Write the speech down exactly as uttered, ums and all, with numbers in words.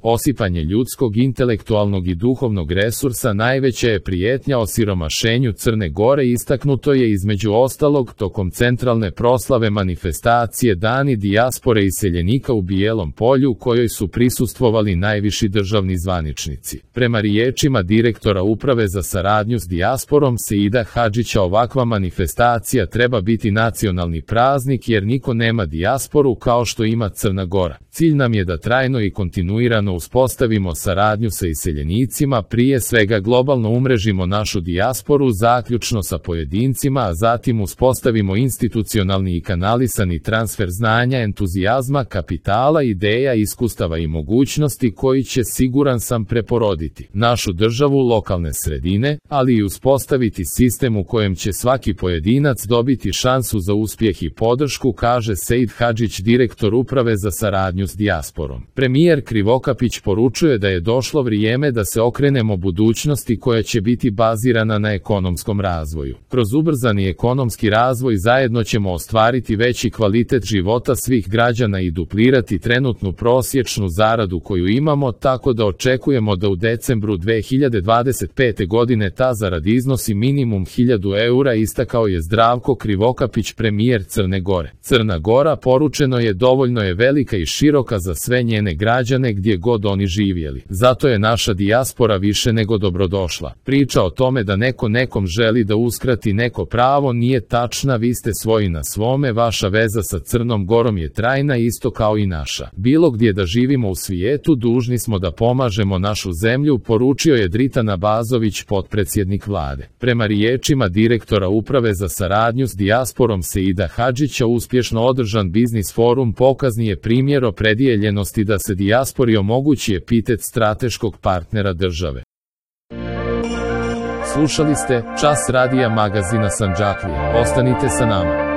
Osipanje ljudskog, intelektualnog i duhovnog resursa najveća je prijetnja osiromašenju Crne Gore, istaknuto je između ostalog tokom centralne proslave manifestacije Dani dijaspore iseljenika u Bijelom Polju, kojoj su prisustvovali najviši državni zvaničnici. Prema riječima direktora Uprave za saradnju s dijasporom Seida Hadžića, ovakva manifestacija treba biti nacionalni praznik jer niko nema dijasporu kao što ima Crna Gora. Cilj nam je da trajno i kontinuirano uspostavimo saradnju sa iseljenicima, prije svega globalno umrežimo našu dijasporu zaključno sa pojedincima, a zatim uspostavimo institucionalni i kanalisani transfer znanja, entuzijazma, kapitala, ideja, iskustava i mogućnosti koji će, siguran sam, preporoditi našu državu, lokalne sredine, ali i uspostaviti sistem u kojem će svaki pojedinac dobiti šansu za uspjeh i podršku, kaže Seid Hadžić, direktor Uprave za saradnju s dijasporom. Premijer Krivokapić poručuje da je došlo vrijeme da se okrenemo budućnosti koja će biti bazirana na ekonomskom razvoju. Kroz ubrzani ekonomski razvoj zajedno ćemo ostvariti veći kvalitet života svih građana i duplirati trenutnu prosječnu zaradu koju imamo, tako da očekujemo da u decembru dve hiljade dvadeset pete. godine ta zarada iznosi minimum hiljadu eura, istakao je Zdravko Krivokapić, premijer Crne Gore. Crna Gora, poručeno je, dovoljno je velika i široka za sve njene građane gdje god oni živjeli. Zato je naša dijaspora više nego dobrodošla. Priča o tome da neko nekom želi da uskrati neko pravo nije tačna, vi ste svoji na svome, vaša veza sa Crnom Gorom je trajna isto kao i naša. Bilo gdje da živimo u svijetu, dužni smo da pomažemo našu zemlju, poručio je Dritan Abazović, potpredsjednik vlade. Prema riječima direktora Uprave za saradnju s dijasporom Seida Hadžića, uspješno održan biznis forum pokazni je primjer opredijeljenosti da se dijaspori omogući epitet strateškog partnera države. Slušali ste Čas radija magazina Sandžaklija. Ostanite sa nama.